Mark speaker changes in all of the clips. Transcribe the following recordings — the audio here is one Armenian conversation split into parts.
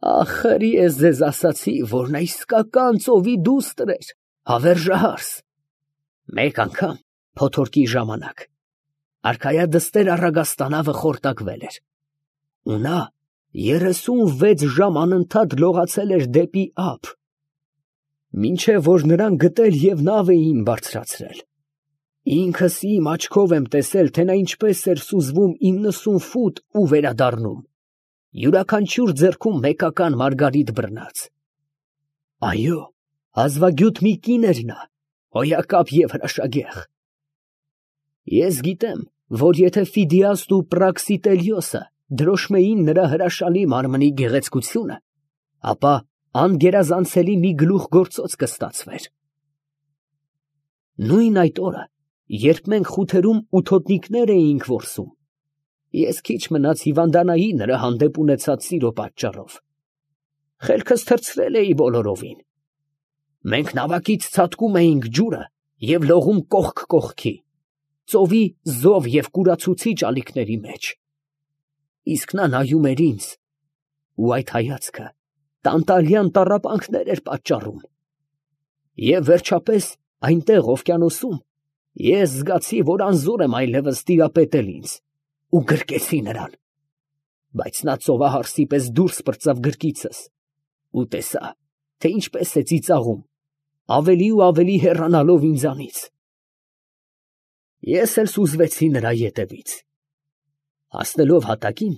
Speaker 1: Ախր ես ձեզ ասացի, որ նա իսկական ծովի դուստր էր, հավերժահարս։ Մեկ անգամ փոթորկի ժամանակ արքայադստեր Առագաստանավը խորտակվել էր, ու նա 36 ժամ անընդհատ լողացել էր դեպի ափ, մինչև որ նրան գտել և նավ էին բարձրացրել։ Ինքս իմ աչքով եմ տեսել, թե նա ինչպես էր սուզվում 90 ֆուտ ու վերադառնում, յուրաքանչյուր ձեռքում մեկական մարգարիտ բռնած։ Այո, հազվագյուտ մի կին էր նա, հոյակապ և հրաշագեղ։ Ես գիտեմ, որ եթե Ֆիդիասն ու Պրաքսիտելիոսը դրոշմեին նրա հրաշալի մարմնի գեղեցկությունը, ապա անգերազանցելի մի գլուխգործոց կստացվեր։ Նույն այդ օրը, երբ մենք խութերում ութոտնիկներ էինք որսում, ես քիչ մնաց հիվանդանայի նրա հանդեպ ունեցած սիրո պատճառով։ Խելքս թռցրել էի բոլորովին։ Մենք նավակից ցատկում էինք ջուրը և լողում կողք կողքի, ծովի զով և կուրացուցիչ ալիքների մեջ։ Իսկ նա նայում էր ինձ, ու այդ հայացքը տանտալյան տառապանքներ էր պատճառում։ Եվ վերջապես այնտեղ օվկիանոսում ես զգացի, որ անզոր եմ այլևս տիրապետել ինձ, ու գրկեցի նրան, բայց նա ծովահարսի պես դուրս պրծավ գրկիցս ու տեսա, թե ինչպես է ծիծաղում, ավելի ու ավելի հեռանալով ինձանից։ Ես էլ սուզվեցի նրա ետևից։ Հասնելով հատակին,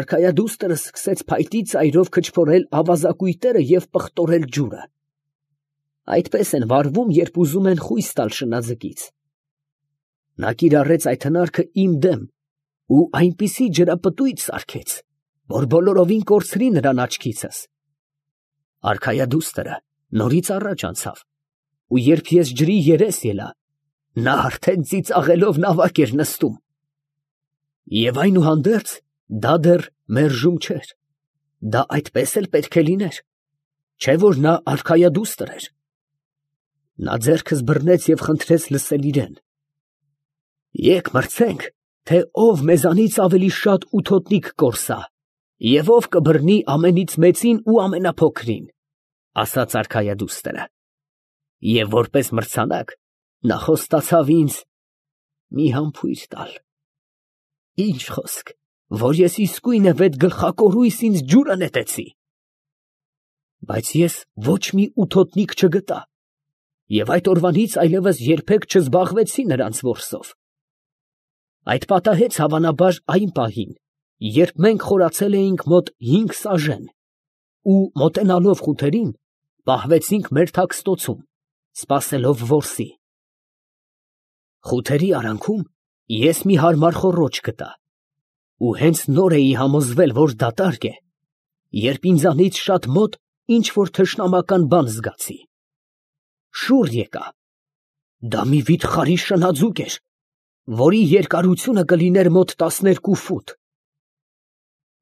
Speaker 1: արքայադուստրը սկսեց փայտի ծայրով քչփորել ավազակույտերը և պղտորել ջուրը։ Այդպես են վարվում, երբ ուզում են խույս տալ շնաձկից։ Նա կիրառեց այդ հնարքը իմ դեմ ու այնպիսի ջրապտույտ սարքեց, որ բոլորովին կորցրի նրան աչքիցս։ Արքայադուստրը նորից առաջ անցավ, ու երբ ես ջրի երես ելա, նա արդեն ծիծաղելով նավակ էր նստում։ Եվ այնուհանդերձ դա դեռ մերժում չէր, դա այդպես էլ պետք է լիներ, չէ՞ որ նա արքայադուստր էր։ Նա ձեռքս բռնեց և խնդրեց լսել իրեն։ Եկ մրցենք, թե ով մեզանից ավելի շատ ութոտնիկ կորսա, և ով կբռնի ամենից մեծին ու ամենափոքրին, ասաց արքայադուստրը։ Եվ որպես մրցանակ նա խոստացավ ինձ մի համբույր տալ։ Ինչ խոսք, որ ես իսկույնև էդ գլխակորույս ինձ ջուրը նետեցի։ Բայց ես ոչ մի ութոտնիկ չգտա, և այդ օրվանից այլևս երբեք չզբաղվեցի նրանց որսով։ Այդ պատահեց հավանաբար այն պահին, երբ մենք խորացել էինք մոտ 5 սաժեն, ու մոտենալով խութերին, պահվեցինք մեր թաքստոցում, սպասելով որսի։ Խութերի արանքում ես մի հարմար խոռոչ գտա, ու հենց նոր էի համոզվել, որ դատարկ է, երբ ինձանից շատ մոտ ինչ որ թշնամական բան զգացի։ Շուռ եկա։ Դա մի վիթխարի շնաձուկ էր, որի երկարությունը կլիներ մոտ 12 ֆուտ։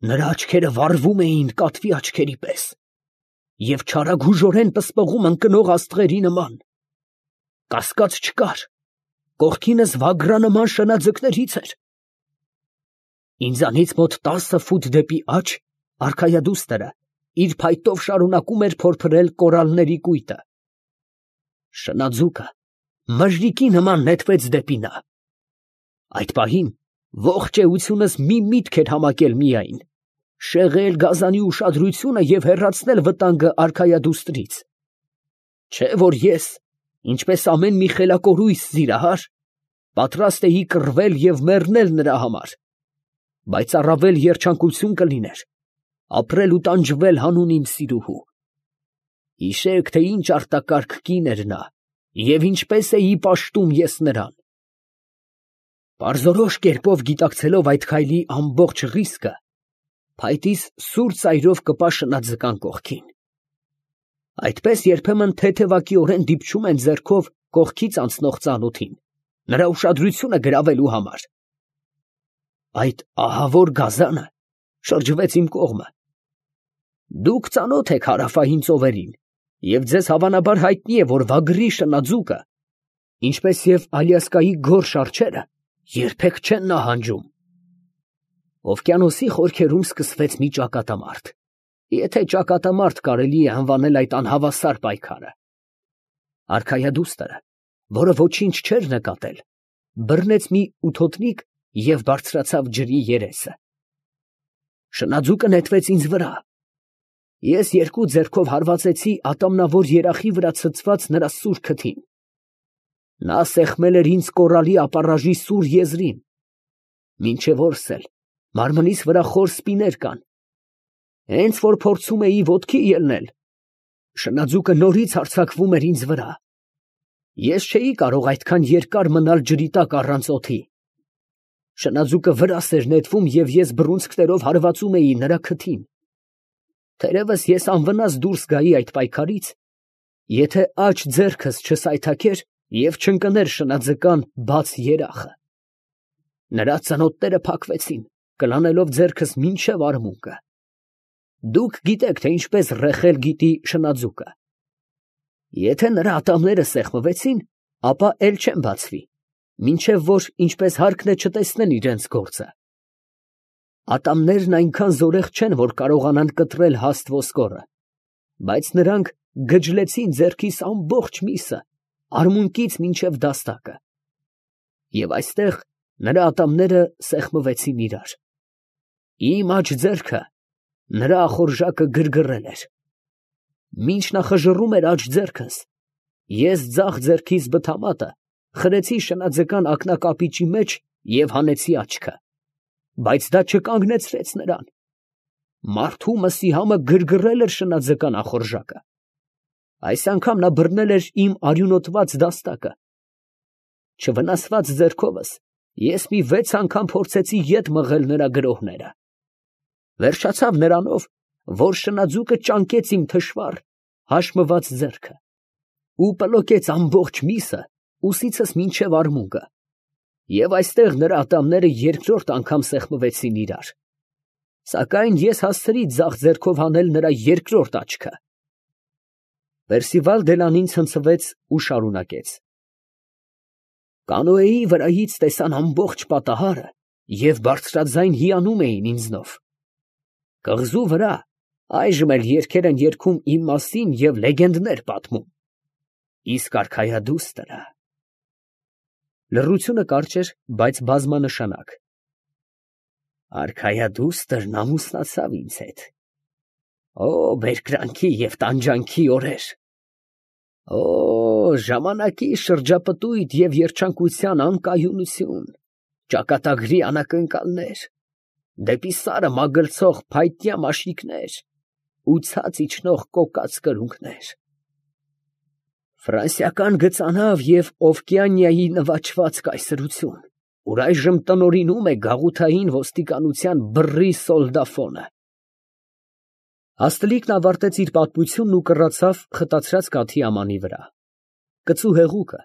Speaker 1: Նրա աչքերը վառվում էին կատվի աչքերի պես և չարագուժորեն պսպղում ընկնող աստղերի նման։ Կասկած չկար, կողքինս վագրանման շնաձկներից էր։ Ինձանից մոտ 10 ֆուտ դեպի աջ արքայադուստրը իր փայտով շարունակում էր փորփրել կորալների կույտը։ Շնաձուկը մժրիկի նման նետվեց դեպի նա։ Այդ պահին ողջ էությունս մի միտք էր համակել միայն՝ շեղել գազանի ուշադրությունը և հեռացնել վտանգը արքայադուստրից։ Չէ՞ որ ես, ինչպես ամեն մի խելակորույս սիրահար, պատրաստ էի կռվել և մեռնել նրա համար, բայց առավել երջանկություն կլիներ ապրել ու տանջվել հանուն իմ սիրուհու։ Հիշեք, թե ինչ արտակարգ կին էր նա և ինչպես էի պաշտում ես նրան։ Պարզորոշ կերպով գիտակցելով այդ քայլի ամբողջ ռիսկը, փայտիս սուր ծայրով կպա շնաձկան կողքին։ Այդպես երբեմն թեթևակիորեն դիպչում են ձեռքով կողքից անցնող ծանոթին, նրա ուշադրությունը գրավելու համար։ Այդ ահավոր գազանը շրջվեց իմ կողմը։ Դուք ծանոթ եք հարավային ծովերին, և ձեզ հավանաբար հայտնի է, որ վագրի շնաձուկը, ինչպես և Ալյասկայի գորշ արջերը, երբեք չեն նահանջում։ Օվկիանոսի խորքերում սկսվեց մի ճակատամարտ։ Եթե ճակատամարտ կարելի է անվանել այդ անհավասար պայքարը։ Արքայադուստը, որը ոչինչ չէր նկատել, բռնեց մի ութոտնիկ և բարձրացավ ջրի երեսը։ Շնաձուկը նետվեց ինձ վրա։ Ես երկու ձեռքով հարվածեցի ատամնավոր երախի վրա ցցված նրա սուր քթին։ Նա սեղմել էր ինձ կորալի ապառաժի սուր եզրին։ Մինչև օրս էլ մարմնիս վրա խոր սպիներ կան։ Հենց որ փորձում էի ոտքի ելնել, շնաձուկը նորից հարձակվում էր ինձ վրա։ Ես չէի կարող այդքան երկար մնալ ջրի տակ առանց օդի։ Շնաձուկը վրաս էր նետվում և ես բռունցքներով հարվածում էի նրա քթին։ Թերևս ես անվնաս դուրս գայի այդ պայքարից, եթե աջ ձեռքս չսայթաքեր և չընկներ շնաձկան բաց երախը։ Նրա ծնոտները փակվեցին, կլանելով ձեռքս մինչև արմունկը։ Դուք գիտեք, թե ինչպես ռեխել գիտի շնաձուկը։ Եթե նրա ատամները սեղմվեցին, ապա էլ չեն բացվի, մինչև որ ինչպես հարկն է չտեսնեն իրենց գործը։ Ատամներն այնքան զորեղ չեն, որ կարողանան կտրել հաստ ոսկորը, բայց նրանք գջլեցին ձեռքիս ամբողջ միսը, արմունկից մինչև դաստակը։ Եվ այստեղ նրա ատամները սեղմվեցին իրար։ Իմ աջ ձեռքը նրա ախորժակը գրգռել էր։ Մինչ նա խժռում էր աջ ձեռքս, ես ձախ ձեռքիս բթամատը խրեցի շնաձկան ակնակապիճի մեջ և հանեցի աչքը, բայց դա չկանգնեցրեց նրան։ Մարդու մսի համը գրգռել էր շնաձկան ախորժակը։ Այս անգամ նա բռնել էր իմ արյունոտված դաստակը։ Չվնասված ձեռքովս ես մի 6 անգամ փորձեցի ետ մղել նրա գրոհները։ Վերջացավ նրանով, որ շնաձուկը ճանկեց իմ թշվառ, հաշմված ձեռքը ու պլոկեց ամբողջ միսը ուսիցս մինչև արմունկը, և այստեղ նրա ատամները երկրորդ անգամ սեղմվեցին իրար, սակայն ես հասցրի ձախ ձեռքով հանել նրա երկրորդ աչքը։ Պերսիվալ Դելանին ցնցվեց ու շարունակեց. Կանոեի վրայից տեսան ամբողջ պատահարը և բարձրաձայն հիանում էին ինձնով։ Կղզու վրա այժմ էլ երգեր են երգում իմ մասին և լեգենդներ պատմում։ Իսկ արքայադուստրը… Լռությունը կարճ էր, բայց բազմանշանակ։ Արքայադուստրն ամուսնացավ ինձ հետ։ Օ, բերկրանքի և տանջանքի օրեր… Օ, ժամանակի շրջապտույտ և երջանկության անկայունություն, ճակատագրի անակնկալներ, դեպի սարը մագլցող փայտյա մաշիկներ ու ցած իջնող կոկած կրունկներ… Ֆրանսիական գծանավ և Օվկիանիայի նվաճված կայսրություն, ուր այժմ տնօրինում է գաղութային ոստիկանության բռի սոլդաֆոնը… Հաստլիկն ավարտեց իր պատմությունն ու կռացավ խտացրած կաթի ամանի վրա։ Կծու հեղուկը,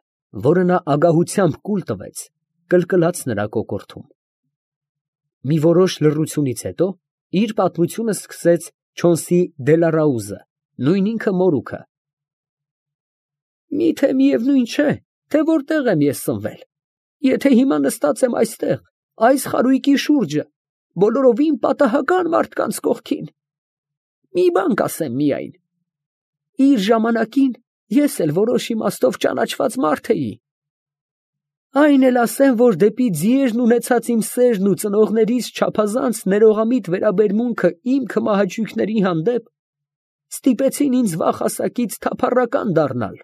Speaker 1: որը նա ագահությամբ կուլ տվեց, կլկլաց նրա կոկորդում։ Մի որոշ լռությունից հետո իր պատմությունը սկսեց Չոնսի Դելարաուզը, նույն ինքը մորուքը։ Միթե միևնույն չէ, թե որտեղ եմ ես ծնվել, եթե հիմա նստած եմ այստեղ, այս խարույկի շուրջը, բոլորովին պատահական մարդկանց կողքին։ Մի բան կասեմ միայն. իր ժամանակին ես էլ որոշ իմաստով ճանաչված մարդ էի։ Այն էլ ասեմ, որ դեպի ձիերն ունեցած իմ սերն ու ծնողներիս չափազանց ներողամիտ վերաբերմունքը իմ քմահաճույքների հանդեպ ստիպեցին ինձ վաղ հասակից թափառական դառնալ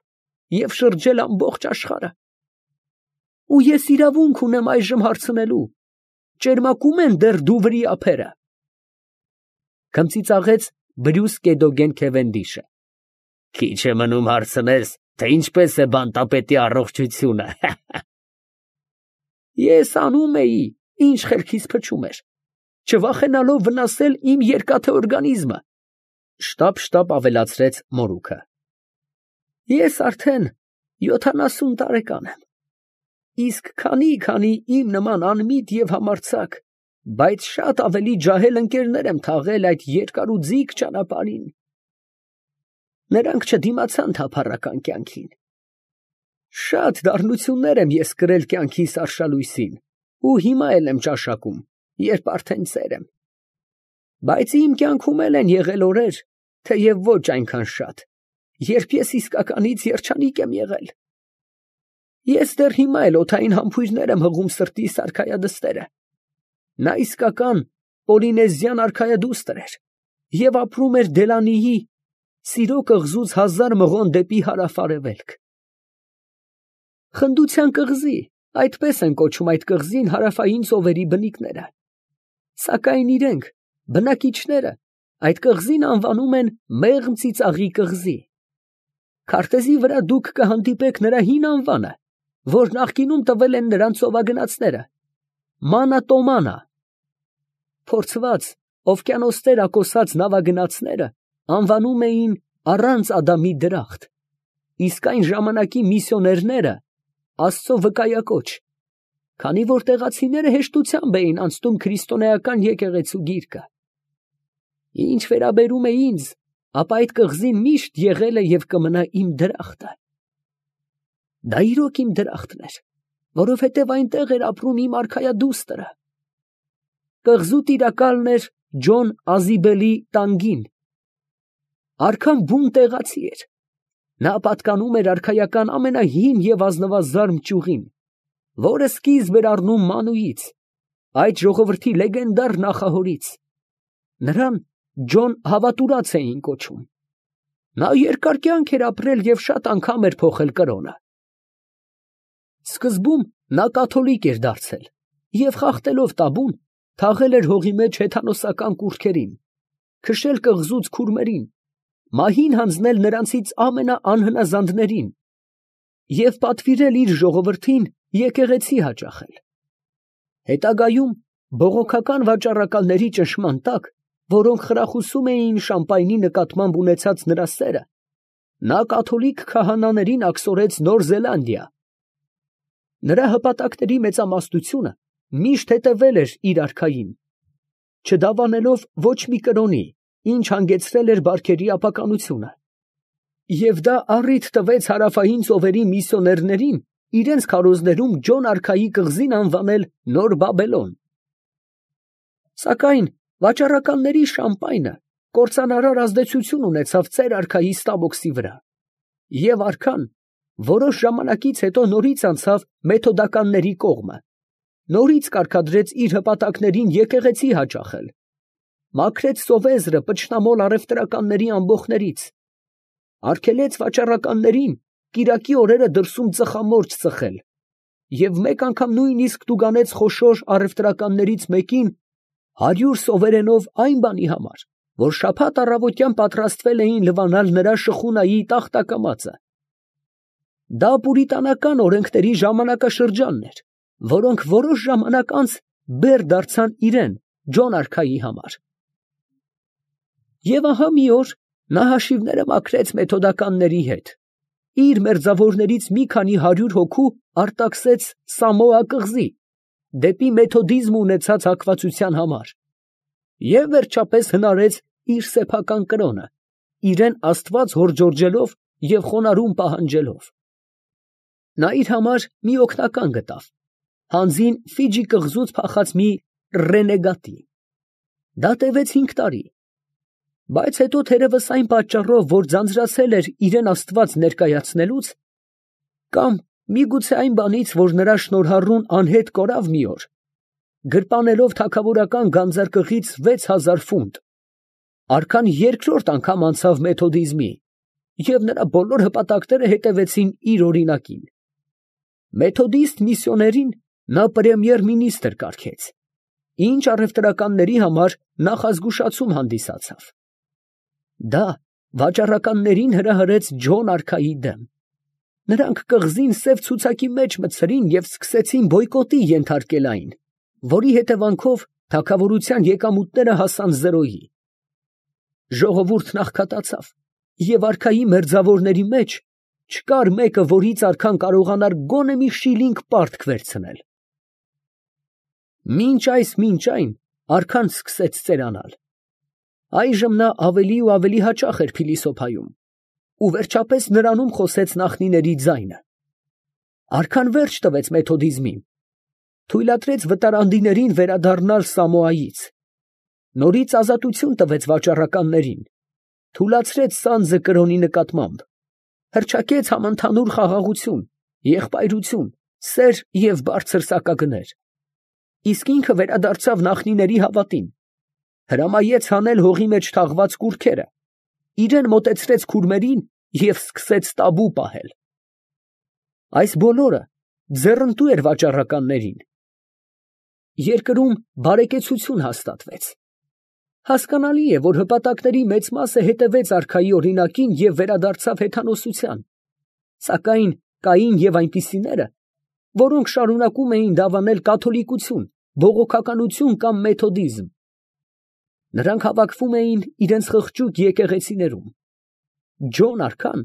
Speaker 1: և շրջել ամբողջ աշխարհը։ Ու ես իրավունք ունեմ այժմ հարցնելու. ճերմակո՞ւմ են դեռ Դուվրի ափերը։ Քմծիծաղեց Բրյուս Կեդոգեն Քևենդիշը։ Քիչ է մնում հարցնես, թե ինչպես է բանտապետի առողջությունը։ Ես անում էի, ինչ խելքիս փչում էր, չվախենալով վնասել իմ երկաթե օրգանիզմը, շտապ ավելացրեց մորուքը։ Ես արդեն 70 տարեկան եմ, իսկ քանի իմ նման անմիտ և համարձակ, բայց շատ ավելի ջահել ընկերներ եմ թաղել այդ երկարուձիգ ճանապարհին։ Նրանք չդիմացան թափառական կյանքին։ Շատ դառնություններ եմ ես կրել կյանքիս արշալույսին ու հիմա էլ եմ ճաշակում, երբ արդեն ծեր եմ։ Բայց իմ կյանքում էլ են եղել օրեր, թեև ոչ այնքան շատ, երբ ես իսկականից երջանիկ եմ եղել։ Ես դեռ հիմա էլ օդային համբույրներ եմ հղում սրտիս արքայադստերը։ Նա իսկական պոլինեզիան արքայադուստր էր և ապրում էր Դելանիի սիրո կղզուց 1000 մղոն դեպի հարավ֊արևելք։ Խնդության կղզի, այդպես են կոչում այդ կղզին հարավային ծովերի բնիկները։ Սակայն իրենք, բնակիչները, այդ կղզին անվանում են Մեղմ ծիծաղի կղզի։ Քարտեզի վրա դուք կհանդիպեք նրա հին անվանը, որ նախկինում տվել են նրան ծովագնացները՝ Մանա։ Փորձված, օվկիանոսներ ակոսած նավագնացները անվանում էին առանց Ադամի դրախտ, իսկ այն ժամանակի միսիոներները Աստծո վկայակոչ, քանի որ տեղացիները հեշտությամբ էին անցնում քրիստոնեական եկեղեցու գիրկը։ Ինչ վերաբերում է ինձ, ապա այդ կղզին միշտ եղել է և կմնա իմ դրախտը։ Դա իրոք իմ դրախտն էր, որովհետև այնտեղ էր ապրում իմ արքայադուստրը։ Կղզու տիրակալն էր Ջոն Ազիբելի տանգին։ Արքան բուն տեղացի էր։ Նա պատկանում էր արքայական ամենահին և ազնվազարմ ճյուղին, որը սկիզբ էր առնում Մանուից, այդ ժողովրդի լեգենդար նախահորից։ Նրան Ջոն հավատուրաց էին կոչում։ Նա երկար կյանք էր ապրել և շատ անգամ էր փոխել կրոնը։ Սկզբում նա կաթոլիկ էր դարձել և խախտելով տաբուն, թաղել էր հողի մեջ հեթանոսական կուռքերին, քշել կղզուց քուրմերին, մահին հանձնել նրանցից ամենաանհնազանդներին և պատվիրել իր ժողովրդին եկեղեցի հաճախել։ Հետագայում բողոքական վաճառականների ճնշման տակ, որոնք խրախուսում էին Շամպայնի նկատմամբ ունեցած նրա սերը, նա կաթոլիկ քահանաներին աքսորեց Նոր Զելանդիա։ Նրա հպատակների մեծամասնությունը միշտ հետևել էր իր արքային, չդավանելով ոչ մի կրոնի, ինչ հանգեցրել էր բարքերի ապականությունը։ Եվ դա առիթ տվեց հարավային ծովերի միսիոներներին իրենց քարոզներում Ջոն արքայի կղզին անվանել Նոր Բաբելոն։ Սակայն վաճառականների Շամպայնը կործանարար ազդեցություն ունեցավ ծեր արքայի Ստամոքսի վրա, և արքան որոշ ժամանակից հետո նորից անցավ մեթոդականների կողմը, նորից կարգադրեց իր հպատակներին եկեղեցի հաճախել, մաքրեց սովեզրը պճշնամոլ առևտրականների ամբոխներից, արգելեց վաճառականներին կիրակի օրերը դրսում ծխամորճ ծխել և մեկ անգամ նույնիսկ տուգանեց խոշոր առևտրականներից մեկին 100 սովերենով այն բանի համար, որ շաբաթ առավոտյան պատրաստվել էին լվանալ նրա շխունայի տախտակամածը։ Դա պուրիտանական օրենքների ժամանակաշրջանն էր, որոնք որոշ ժամանակ անց բեռ դարձան իրեն, Ջոն արքայի համար։ Եվ ահա մի օր նա հաշիվները մաքրեց մեթոդականների հետ, իր մերձավորներից մի քանի 100 հոգու արտաքսեց Սամոա կղզի, դեպի մեթոդիզմ ունեցած հակվածության համար, և վերջապես հնարեց իր սեփական կրոնը, իրեն Աստված հորդորջելով և խոնարհում պահանջելով։ Նա իր համար մի օգնական գտավ, հանձին Ֆիջի կղզուց փախած մի ռենեգատի։ Դա տևեց 5 տարի, բայց հետո թերևս այն պատճառով, որ ձանձրացել էր իրեն Աստված ներկայացնելուց, կամ միգուցե այն բանից, որ նրա շնորհառուն անհետ կորավ մի օր, գրպանելով թագավորական գանձարկղից 6000 ֆունտ, արքան երկրորդ անգամ անցավ մեթոդիզմի, և նրա բոլոր հպատակները հետևեցին իր օրինակին։ Մեթոդիստ միսիոներին նա պրեմիեր մինիստր կարգեց, ինչ առևտրականների համար նախազգուշացում հանդիսացավ։ Դա վաճառականներին հրահրեց Ջոն արքայի դեմ։ Նրանք կղզին սև ցուցակի մեջ մտցրին և սկսեցին բոյկոտի ենթարկել այն, որի հետևանքով թագավորության եկամուտները հասան զրոյի։ Ժողովուրդն աղքատացավ, և արքայի մերձավորների մեջ չկար մեկը, որից արքան կարողանար գոնե մի շիլինգ պարտք վերցնել։ Մինչ այն արքան սկսեց ծերանալ։ Այժմ նա ավելի ու ավելի հաճախ էր փիլիսոփայում, ու վերջապես նրանում խոսեց նախնիների ձայնը։ Արքան վերջ տվեց մեթոդիզմին, թույլատրեց վտարանդիներին վերադառնալ Սամոայից, նորից ազատություն տվեց վաճառականներին, թուլացրեց սանձը կրոնի նկատմամբ, հռչակեց համընդհանուր խաղաղություն, եղբայրություն, սեր և բարձր սակագներ, իսկ ինքը վերադարձավ նախնիների հավատին, հրամայեց հանել հողի մեջ թաղված կուռքերը, իրան մոտեցրեց քուրմերին և սկսեց տաբու պահել։ Այս բոլորը ձեռնտու էր վաճառականներին։ Երկրում բարեկեցություն հաստատվեց։ Հասկանալի է, որ հպատակների մեծ մասը հետևեց արքայի օրինակին և վերադարձավ հեթանոսության, սակայն կային և այնպիսիները, որոնք շարունակում էին դավանել կաթոլիկություն, բողոքականություն կամ մեթոդիզմ։ Նրանք հավաքվում էին իրենց խղճուկ եկեղեցիներում։ Ջոն արքան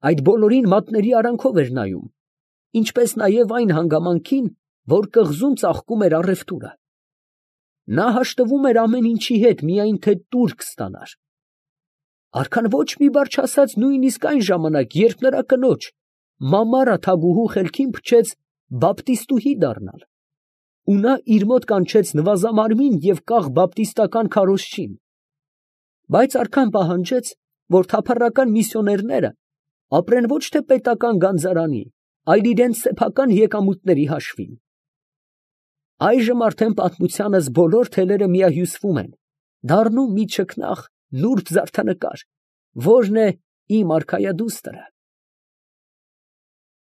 Speaker 1: այդ բոլորին մատների արանքով էր նայում, ինչպես նաև այն հանգամանքին, որ կղզում ծաղկում էր առևտուրը։ Նա հաշտվում էր ամեն ինչի հետ, միայն թե տուրք ստանար։ Արքան ոչ մի բառ չասաց նույնիսկ այն ժամանակ, երբ նրա կնոջ Մամարա թագուհու խելքին փչեց բապտիստուհի դառնալ, ու նա իր մոտ կանչեց նվազամարմին և կաղ բապտիստական քարոզչին։ Բայց արքան պահանջեց, որ թափառական միսիոներները ապրեն ոչ թե պետական գանձարանի, այլ իրենց սեփական եկամուտների հաշվին։ Այժմ արդեն պատմությանս բոլոր թելերը միահյուսվում են, դառնում մի չքնաղ նուրբ զարդանկար, որն է իմ արքայադուստրը։